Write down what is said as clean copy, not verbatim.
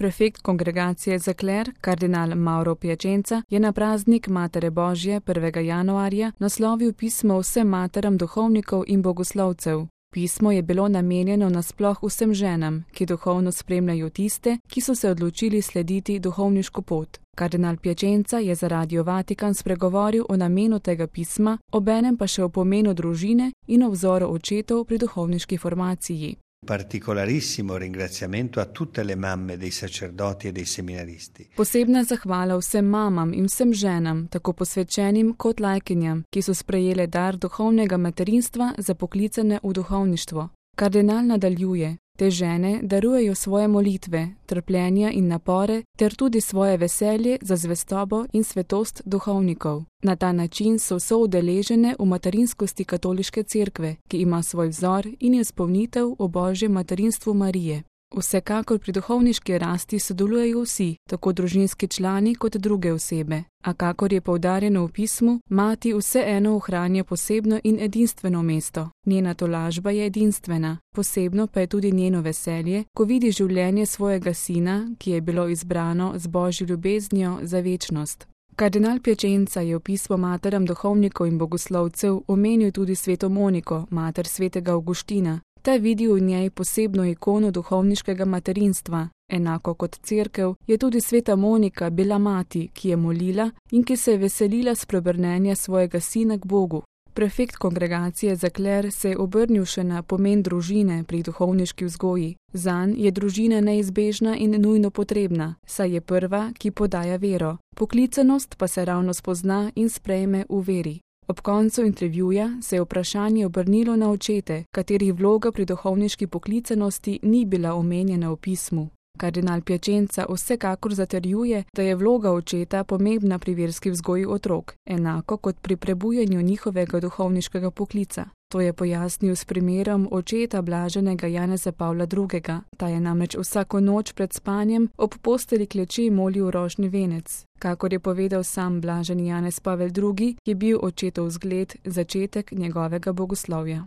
Prefekt kongregacije za kler, kardinal Mauro Piacenza, je na praznik Matere Božje 1. januarja naslovil pismo vsem materam duhovnikov in bogoslovcev. Pismo je bilo namenjeno nasploh vsem ženam, ki duhovno spremljajo tiste, ki so se odločili slediti duhovniško pot. Kardinal Piacenza je za Radio Vatikan spregovoril o namenu tega pisma, obenem pa še o pomenu družine in o vzoru očetov pri duhovniški formaciji. Particolarissimo ringraziamento a tutte le mamme dei sacerdoti e dei seminaristi. Posebna zahvala vsem mamam in vsem ženam, tako posvečenim kot laikinjam, ki so sprejele dar duhovnega materinstva za poklicane v duhovništvo. Kardinal nadaljuje: te žene darujejo svoje molitve, trpljenja in napore ter tudi svoje veselje za zvestobo in svetost duhovnikov. Na ta način so soudeležene v materinskosti katoliške cerkve, ki ima svoj vzor in izpolnitev v Božjem materinstvu Marije. Vsekakor pri duhovniški rasti sodelujejo vsi, tako družinski člani kot druge osebe. A kakor je poudarjeno v pismu, mati vseeno ohranja posebno in edinstveno mesto. Njena tolažba je edinstvena, posebno pa je tudi njeno veselje, ko vidi življenje svojega sina, ki je bilo izbrano z Božjo ljubeznijo za večnost. Kardinal Piacenza je v pismo materam duhovnikov in bogoslovcev omenil tudi sveto Moniko, mater svetega Avguština. Ta vidi v njej posebno ikono duhovniškega materinstva. Enako kot cerkev je tudi sveta Monika bila mati, ki je molila in ki se je veselila spreobrnenja svojega sina k Bogu. Prefekt kongregacije za kler se je obrnil še na pomen družine pri duhovniški vzgoji. Zanj je družina neizbežna in nujno potrebna, saj je prva, ki podaja vero. Poklicanost pa se ravno spozna in sprejme v veri. Ob koncu intervjuja se je vprašanje obrnilo na očete, katerih vloga pri duhovniški poklicanosti ni bila omenjena v pismu. Kardinal Piacenza vsekakor zatrjuje, da je vloga očeta pomembna pri verski vzgoji otrok, enako kot pri prebujanju njihovega duhovniškega poklica. To je pojasnil s primerom očeta blaženega Janeza Pavla II. Ta je namreč vsako noč pred spanjem ob posteli kleče molil rožni venec. Kakor je povedal sam blaženi Janez Pavel II., je bil očetov zgled začetek njegovega bogoslovja.